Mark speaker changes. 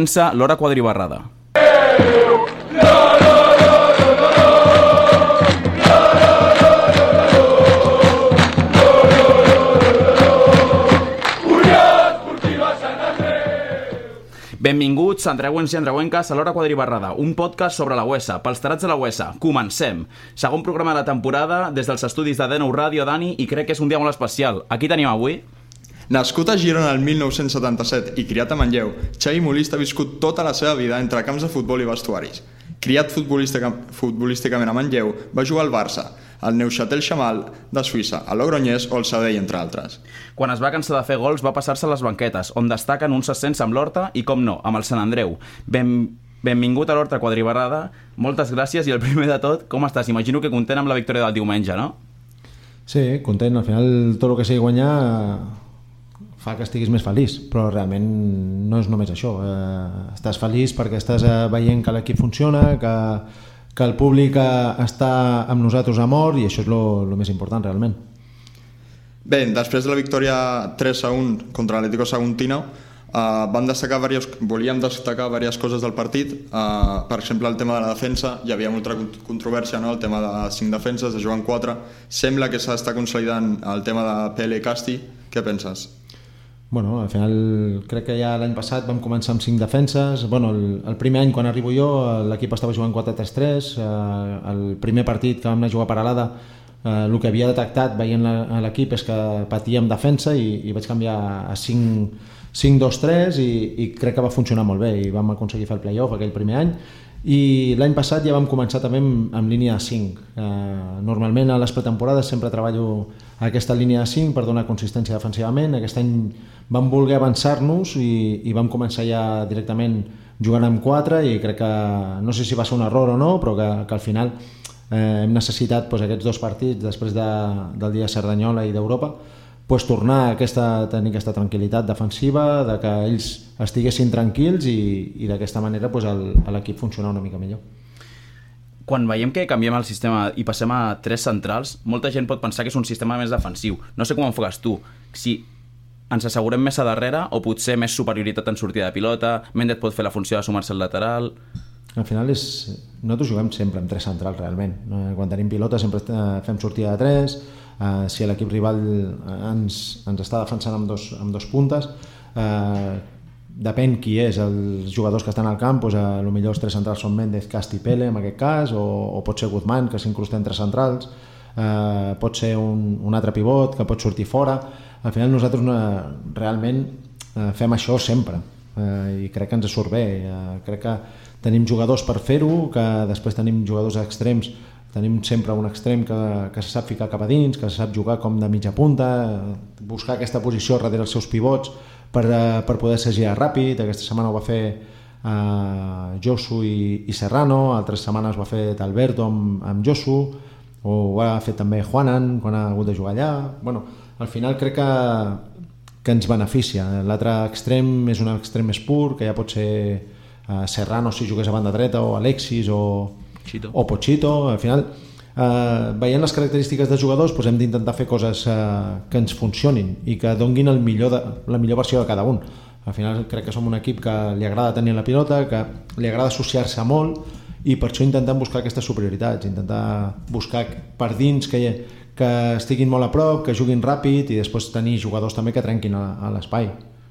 Speaker 1: Comença l'hora quadribarrada. Benvinguts, andreuens i andreuenques, a l'hora quadribarrada, un podcast sobre la UESA, pels tarats de la UESA. Comencem! Segon programa de la temporada, des dels estudis de D9 Ràdio, Dani, i crec que és un dia molt especial. Aquí tenim avui...
Speaker 2: Nascut a Girona el 1977 i criat a Manlleu, Xavi Molist ha viscut tota la seva vida entre camps de futbol i vestuaris. Criat futbolísticament a Manlleu, va jugar al Barça, al Neuchâtel Xamal de Suïssa, a Logroñés o al Sabadell, entre altres.
Speaker 1: Quan es va cansar de fer gols va passar-se a les banquetes, on destaquen uns ascens amb l'Horta i, com no, amb el Sant Andreu. Benvingut a l'Horta quadribarrada, moltes gràcies i el primer de tot, com estàs? Imagino que content amb la victòria del diumenge, no?
Speaker 3: Sí, content, al final tot el que sigui guanyar fa que estiguis més feliç, però realment no és només això. Estàs feliç perquè estàs veient que l'equip funciona, que el públic està amb nosaltres a mort, i això és el més important realment.
Speaker 2: Bé, després de la victòria 3-1 contra l'Atlético Saguntino, volíem destacar diverses coses del partit. Per exemple, el tema de la defensa, hi havia molta controvèrsia, no? El tema de 5 defenses, de jugar en 4. Sembla que s'està consolidant el tema de PL Casti. Què penses?
Speaker 3: Bueno, al final crec que ja l'any passat vam començar amb 5 defenses. Bueno, el primer any quan arribo jo l'equip estava jugant 4-3-3. El primer partit que vam anar a jugar a Peralada, el que havia detectat veient l'equip és que patíem defensa i vaig canviar a 5-2-3 i crec que va funcionar molt bé i vam aconseguir fer el play-off aquell primer any. I l'any passat ja vam començar també amb línia de 5. Normalment a les pretemporades sempre treballo aquesta línia de 5 per donar consistència defensivament. Aquest any vam voler avançar-nos i vam començar ja directament jugant amb 4 i crec que, no sé si va ser un error o no, però que al final hem necessitat aquests 2 partits després del dia de Cerdanyola i d'Europa, tornar a tenir aquesta tranquil·litat defensiva, de que ells estiguessin tranquils i d'aquesta manera l'equip funcionar una mica millor.
Speaker 1: Quan veiem que canviem el sistema i passem a 3 centrals, molta gent pot pensar que és un sistema més defensiu. No sé com enfoques tu, si ens assegurem més a darrere o potser més superioritat en sortida de pilota, Méndez pot fer la funció de sumar-se al lateral...
Speaker 3: Al final nosaltres juguem sempre amb 3 centrals realment. Quan tenim pilota sempre fem sortida de 3, si l'equip rival ens està defensant amb dos puntes, depèn qui és els jugadors que estan al camp, potser els 3 centrals són Méndez, Casti i Pele en aquest cas, o pot ser Guzmán, que s'incrusta entre centrals, pot ser un altre pivot que pot sortir fora. Al final nosaltres realment fem això sempre i crec que ens surt bé. Crec que tenim jugadors per fer-ho, que després tenim jugadors extrems. Tenim sempre un extrem que se sap ficar cap a dins, que se sap jugar com de mitja punta, buscar aquesta posició darrere els seus pivots per poder ser girar ràpid. Aquesta setmana ho va fer Josu i Serrano, altres setmanes ho ha fet Alberto amb Josu, o ho ha fet també Juanan quan ha hagut de jugar allà. Bueno, al final crec que ens beneficia. L'altre extrem és un extrem més pur, que ja pot ser Serrano si jugués a banda dreta, o Alexis o Pochito. Al final, veient les característiques dels jugadors, hem d'intentar fer coses que ens funcionin i que donguin la millor versió de cada un. Al final crec que som un equip que li agrada tenir la pilota, que li agrada associar-se molt, i per això intentem buscar aquestes superioritats, intentar buscar per dins que estiguin molt a prop, que juguin ràpid, i després tenir jugadors també que trenquin a l'espai.